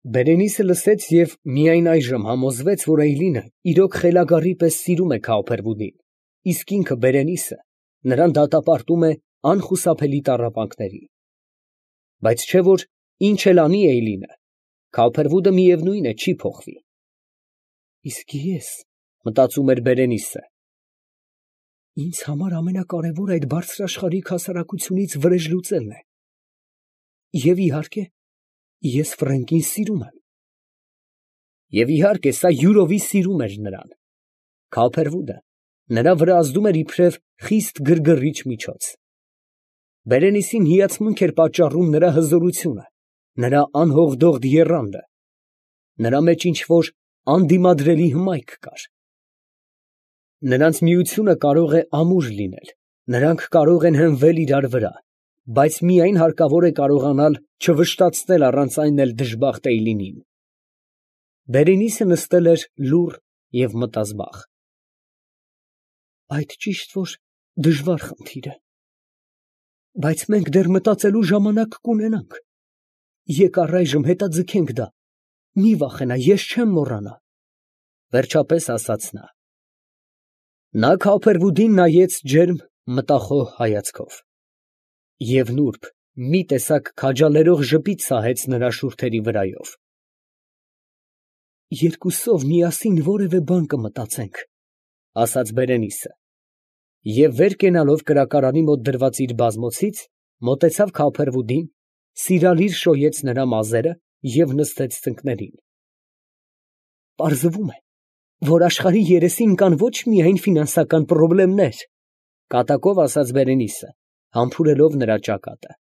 Բերենիսը լսեց և միայն այժմ համոզվեց, որ Էյլինը իրոք խելագարի պես սիրում է Քաուփերվուդին, իսկ ինքը Բերենիսը նրան դատապարտում է անխուսափելի տառապանքների։ Բայց չէ՞ որ ինչ էլ անի Էյլինը, Քաուփերվուդը միևնույն է չի փոխվի։ Իսկ ես, մտածում էր Բերենիսը, ինձ համար ամենակարևորը այդ բարձրաշխարհիկ հասարակությունից վրեժ լուծելն է։ Եվ իհարկե, ես Ֆրենկին սիրում եմ։ Եվ իհարկե, սա յուրովի սիրում էր նրան։ Քաուփերվուդը նրա վրա ազդում էր իբրև խիստ գրգռիչ միջոց։ Բերենիսին հիացմունք էր պատճառում նրա հզորությունը, նրա անհողդողդ եռանդը։ Նրա մեջ ինչ֊որ անդիմադրելի հմայք կար։ Նրանց միությունը կարող է ամուր լինել, նրանք կարող են հենվել իրար վրա, բայց միայն հարկավոր է կարողանալ չվշտացնել առանց այն էլ դժբախտ Էյլինին։ Բերենիսը նստել էր լուռ և մտազբաղ։ Այդ ճիշտ որ դժվար խնդիր է, բայց մենք դեռ մտածելու ժամանակ կունենանք։ Եկ առայժմ հետաձգենք դա, մի վախենա, ես չեմ մոռանա, վերջապես ասաց նա։ Նա Քաուփերվուդին նայեց ջերմ, մտախոհ հայացքով և նուրբ, մի տեսակ քաջալերող ժպիտ սահեց նրա շուրթերի վրայով։ Երկուսով միասին որևէ բան կմտածենք, ասաց Բերենիսը, և վեր կենալով կրակարանի մոտ դրված իր բազմոցից, մոտեցավ Քաուփերվուդին, սիրալիր շոյեց նրա մազերը և նստեց ծնկներին։ Պարզվում է, որ աշխարհի երեսին կան ոչ միայն ֆինանսական պրոբլեմներ, կատակով ասաց Բերենիսը, համբուրելով նրա ճակատը։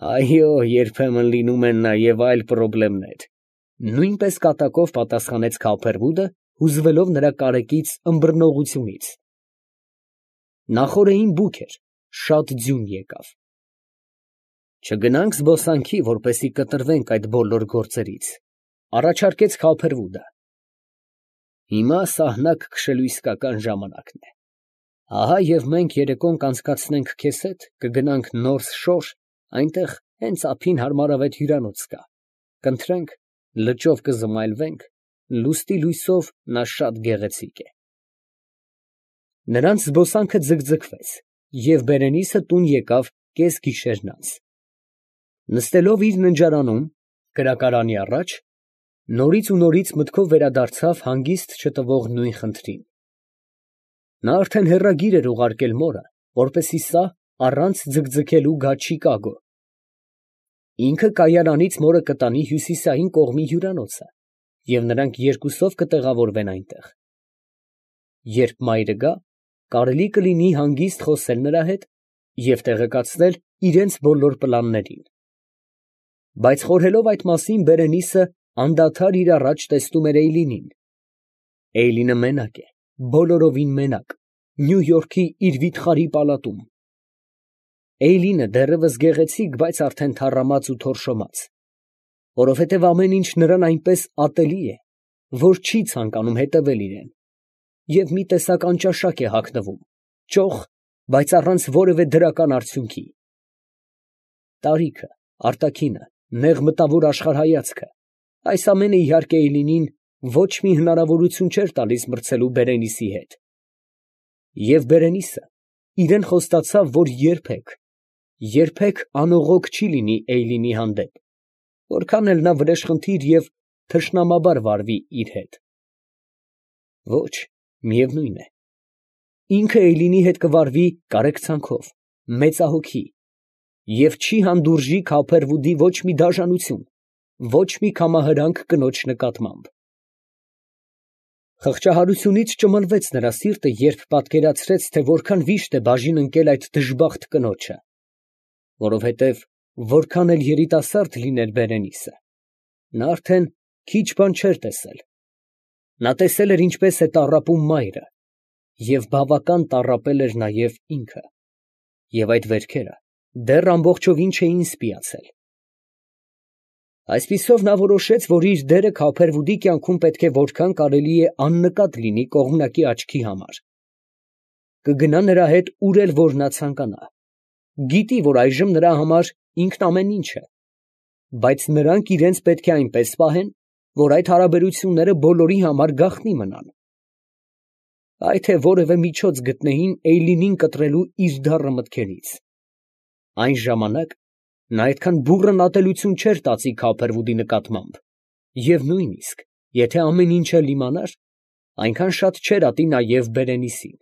Այո, երբեմն լինում են նաև այլ պրոբլեմներ, նույնպես կատակով պատասխանեց Քաուփերվուդը, հուզվելով նրա կարեկից ըմբռնողությունից։ Նախօրեին բուք էր, շատ ձյուն եկավ։ Չգնա՞նք զբոսանքի, որպեսզի կտրվենք այդ բոլոր գործերից, առաջարկեց Քաուփերվուդը։ Հիմա սահնակ քշելու իսկական ժամանակն է։ Ահա և մենք երեկոն կանցկացնենք քեզ հետ, կգնանք Նորթ Շոր, այնտեղ հենց ափին հարմարավետ հյուրանոց կա, կընթրենք, լճով կզմայլվենք, լուստի լույսով նա շատ գեղեցիկ է։ Նրանց զբոսանքը ձգձգվեց, և Բերենիսը տուն եկավ կեսգիշերն անց։ Նստելով իր ննջարանում, կրակարանի առաջ, նորից ու նորից մտքով վերադարձավ հանգիստ չտվող նույն խնդրին։ Նա արդեն հեռագիր էր ուղարկել մորը, որպեսզի սա առանց ձգձգելու գա Չիկագո։ Ինքը կայարանից մորը կտանի հյուսիսային կողմի հյուրանոցը, և նրանք երկուսով կտեղավորվեն այնտեղ։ Երբ մայրը գա, կարելի կլինի հանգիստ խոսել նրա հետ և տեղեկացնել իրենց բոլոր պլաններին։ Բայց խորհելով այդ մասին, Բերենիսը անդադար իր առաջ տեսնում էր Էյլինին։ Էյլինը մենակ է, բոլորովին մենակ, Նյու Յորքի իր վիթխարի պալատում։ Էյլինը դեռևս գեղեցիկ, բայց արդեն թառամած ու թորշոմած, որովհետև ամեն ինչ նրան այնպես ատելի է, որ չի ցանկանում հետևել իրան, և մի տեսակ անճաշակ է հագնվում, ճոխ, բայց առանց որևէ դրական արդյունքի։ Տարիքը, արտաքինը, նեղ մտավոր աշխարհայացքը, այս ամենը իհարկե Էյլինին ոչ մի հնարավորություն չէր տալիս մրցելու Բերենիսի հետ։ Եվ Բերենիսը իրան խոստացավ, որ երբեք անողոք չի լինի Էյլինի հանդեպ, որքան էլ նա վրեժխնդիր և թշնամաբար վարվի իր հետ։ Ոչ, միևնույն է, ինքը Էյլինի հետ կվարվի կարեկցանքով, մեծահոգի և չի հանդուրժի Քաուփերվուդի ոչ մի դաժանություն, ոչ մի կամահրանք կնոջ նկատմամբ։ Խղճահարությունից ճմլվեց նրա սիրտը, երբ պատկերացրեց, թե որքան վիշտ է բաժին ընկել այդ դժբախտ կնոջը, որովհետև որքան էլ երիտասարդ լիներ Բերենիսը, նա արդեն քիչ բան չէր տեսել։ Նա տեսել էր ինչպես է տառապում մայրը, և բավական տառապել էր նաև ինքը, և այդ վերքերը դեռ ամբողջովին չէին սպիացել։ Այսպիսով նա որոշեց, որ իր դերը Քաուփերվուդի կյանքում պետք է որքան կարելի է աննկատ լինի կողմնակի աչքի համար։ Կգնա նրա հետ ուր էլ որ նա ցանկանա, գիտի, որ այժմ նրա համար ինքն ամեն ինչ է, բայց նրանք իրենց պետք է այնպես պահեն, որ այդ հարաբերությունները բոլորի համար գաղտնի մնան։ Այ թե որևէ միջոց գտնեին Էյլինին կտրելու իր դառը մտքերից։ Այն ժամանակ նա այդքան բուռն ատելություն չէր տածի Քոփերվուդի նկատմամբ, և նույնիսկ, եթե ամեն ինչ էլ իմանար, այնքան շատ չէր ատի նաև Բերենիսին։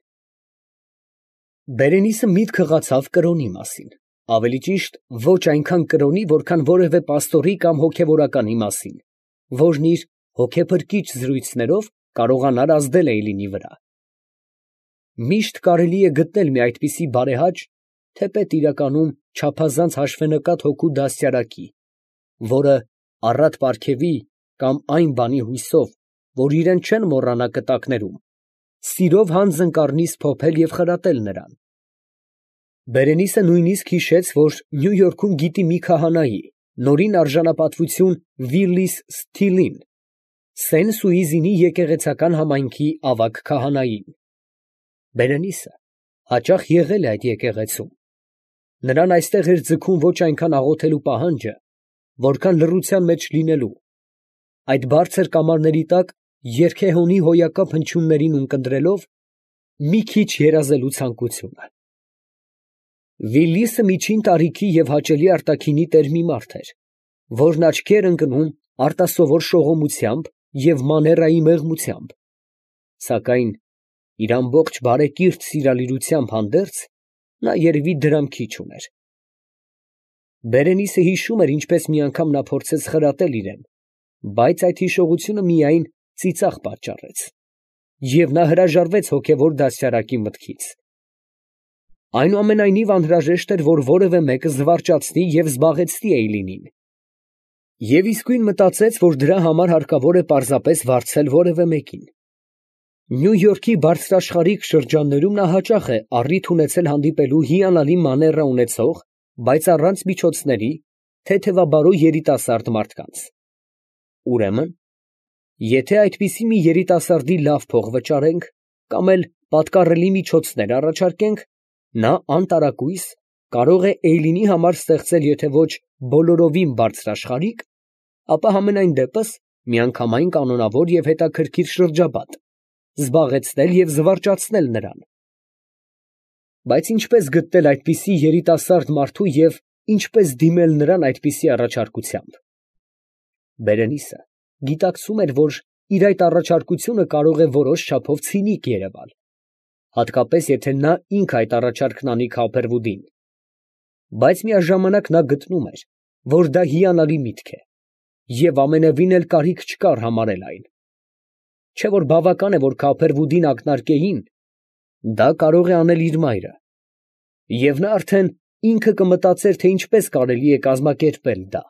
Բերենիսը միտք հղացավ կրոնի մասին, ավելի ճիշտ, ոչ այնքան կրոնի, որքան որևէ պաստորի կամ հոգևորականի մասին, որն իր հոգեփրկիչ զրույցներով կարողանար ազդել Էյլինի վրա։ Միշտ կարելի է գտնել մի այդպիսի բարեհաճ, թեպետ իրականում չափազանց հաշվենկատ հոգու դաստիարակի, որը առատ պարգևի կամ այն բանի հույսով, որ իրեն չեն մոռանա կտակներում, սիրով հանձն կառնի սփոփել և խրատել նրան։ Բերենիսը նույնիսկ հիշեց, որ Նյու Յորքում գիտի մի քահանայի, նորին արժանապատվություն Վիլլիս Սթիլին, Սեն Սուիզինի եկեղեցական համայնքի ավագ քահանային։ Բերենիսը հաճախ եղել է այդ եկեղեցում։ Նրան այստեղ էր ձգում ոչ այնքան աղոթելու պահանջը, որքան լռության մեջ լինելու, այդ բարձր կամարների տակ երգեհոնի հոյակապ հնչյուններին ունկնդրելով մի քիչ երազելու ցանկությունը։ Վիլլիսը միջին տարիքի և հաճելի արտաքինի տեր մի մարդ էր, որն աչքի էր ընկնում արտասովոր շողոմությամբ և մաներայի մեղմությամբ, սակայն իր ամբողջ բարեկիրթ սիրալիրությամբ հանդերձ, նա երևի դրամքի չուներ։ Բերենիսը հիշում էր, ինչպես մի անգամ նա փորձեց խրատել իրեն, բայց այդ հիշողությունը միայն ծիծաղ պատճառեց, և նա հրաժարվեց հոգևոր դաստիարակի մտքից։ Այնուամենայնիվ անհրաժեշտ էր, որ որևէ մեկը զվարճացնի և զբաղեցնի Էյլինին, և իսկույն մտածեց, որ դրա համար հարկավոր է պարզապես վարձել որևէ մեկին։ Նյու Յորքի բարձրաշխարհիկ շրջաններում նա հաճախ է առիթ ունեցել հանդիպելու հիանալի մաներա ունեցող, բայց առանց միջոցների, թեթևաբարո երիտասարդ մարդկանց։ Ուրեմն, եթե այդպիսի մի երիտասարդի լավ փող վճարենք, կամ էլ պատկառելի միջոցներ առաջարկենք, նա անտարակույս կարող է Էյլինի համար ստեղծել եթե ոչ բոլորովին բարձրաշխարհիկ, ապա համենայն դեպս միանգամայն կանոնավոր և հետաքրքիր շրջապատ, զբաղեցնել և զվարճացնել նրան։ Բայց ինչպե՞ս գտնել այդպիսի երիտասարդ մարդու և ինչպե՞ս դիմել նրան այդպիսի առաջարկությամբ։ Բերենիսը գիտակցում էր, որ իր այդ առաջարկությունը կարող է որոշ չափով ցինիկ երևալ, հատկապես եթե նա ինքը այդ առաջարկն անի Քոփերվուդին, բայց միաժամանակ նա գտնում էր, որ դա հիանալի միտք է, և ամենևին էլ կարիք չկար համարել այն։ Չէ՞ որ բավական է, որ Քոփերվուդին ակնարկեին, դա կարող է անել իր մայրը, և նա արդեն ինքը կմտածեր, թե ինչպես կարելի է կազմակերպել դա։